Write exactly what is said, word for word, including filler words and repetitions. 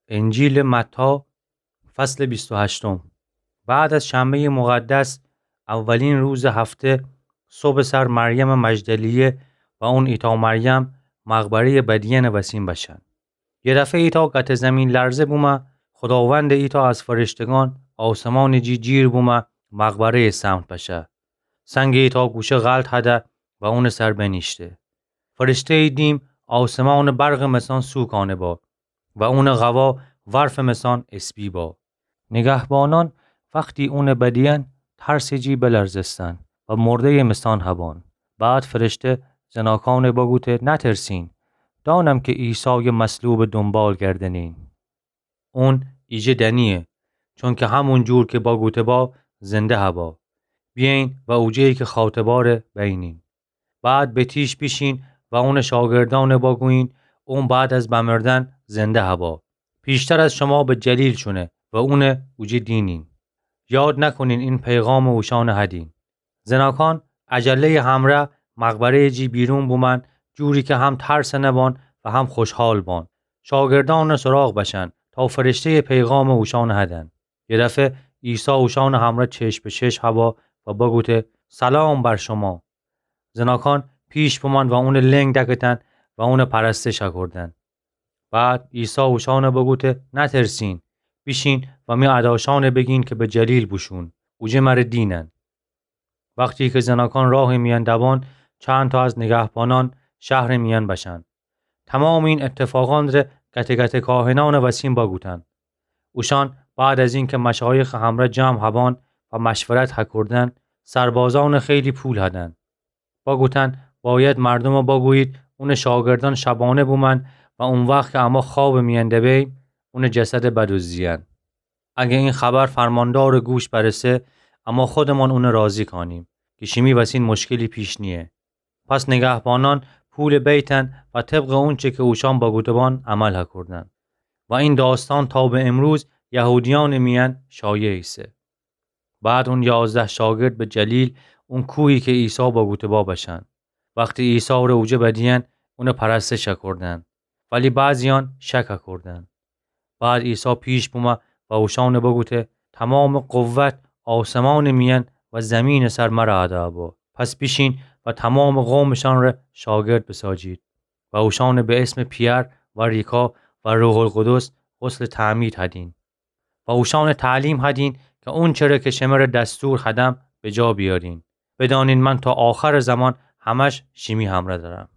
انجیلٚ متی، فصلٚ بیست و هشتم. بعد از شنبه‌یٚ مقدس، اولین روزٚ هفته، صبحٚ سر مریمٚ مجدلیه و اون ایتأ مریم مقبره‌یٚ بدیأنٚ وسین بشن. یه دفعه ایتأ گته زمین‌لرزه بومه، خوداوندٚ ایتأ از فرشتگان آسمانٚ جی جیر بومه، مقبره‌یٚ سمت بشه. سنگٚ ایتأ گوشه غلط هده و اونٚ سر بنیشته. فرشته‌یٚ دیم آسمانٚ برقٚ مثان سوکانه با و اونٚ قوا ورفٚ مثان اسبی با. نگهبانان وختی اونٚ بدیأن ترسٚ جی بلرزستن و مرده‌یٚ مثان هبان. بعد فرشته زناکانٚ بگوته: نترسین، دانم که عیسایٚ مصلوبٚ دونبال گردنین. اون ایجه دنیه، چونکه همون جور که بگوته با، زنده هبا. بیأیین و اوجه‌یی که خاطباره بینین. بعد به تیش بیشین و اونٚ شاگردانٚ بگویین، اون بعد از بمردن زنده هبا. پیشتر از شما به جلیل شونه و اونٚ اوجه دینین. یاد نکنین این پیغامٚ اوشانٚ هدین. زناکان عجله‌یٚ همره مقبره‌یٚ جی بیرون بومن، جوری که هم ترسٚنه بان و هم خوشحال بان. شاگردانٚ سراغ بشن تا فرشته‌یٚ پیغامٚ اوشانٚ هدن. یه دفعه عیسی اوشانٚ همره چشم به چشم هبا و بگوته: سلام بر شما. زناکان پیش بومن و اونٚ لنگ دکتن و اونٚ پرستش هکردن. بعد عیسی اوشانٚ بگوته: نترسین، بیشین و می اداشانٚ بگین که به جلیل بوشون، اوجه مره دینن. وختی که زناکان راهٚ میأن دبان، چند تا از نگهبانان شهرٚ میأن بشن. تمامٚ این اتفاقان ره گته گته کاهنانٚ وسین بگوتن. اوشان بعد از اینکه مشایخٚ همره جمع هبان و مشورت هکردن، سربازانٚ خیلی پول هدن. بگوتن: باید مردومٚ بگویید اونٚ شاگردان شبانه بومن و او وخت که اما خوابٚ میأن دبیم، اونٚ جسده بدزدیین. اگه این خبر فرماندارٚ گوش برسه، اما خودمان اونٚ راضی کانیم که شیمی وسین مشکلی پیش نیه. پس نگهبانان پول بیتن و طبقٚ اونچه که اوشان بگوته بان عمل هکردن. و این داستان تا به امروز یهودیانٚ میأن شایع ایسه. بعد اون یازده شاگرد به جلیل، اون کوهی که عیسی بگوته با، بشن. وختی عیسی ره اوجه بدیین، اونٚ پرستش هکردن. ولی بعضیان شک هکردن. بعد عیسی پیش بومه و اوشانٚ بگوته: تمامٚ قوت آسمانٚ میأن و زمینٚ سر مره ادا با. پس بیشین و تمامٚ قومٚ شان ره شاگرد بساجید و اوشانٚ به اسمٚ پئر و ریکا و روح‌القدس غسلٚ تعمید هدین. و اوشانٚ تعلیم هدین که اونچره که شمره دستور هدم بجا بیارین. بدانین من تا آخرٚ زمان همش شیمی همره درم.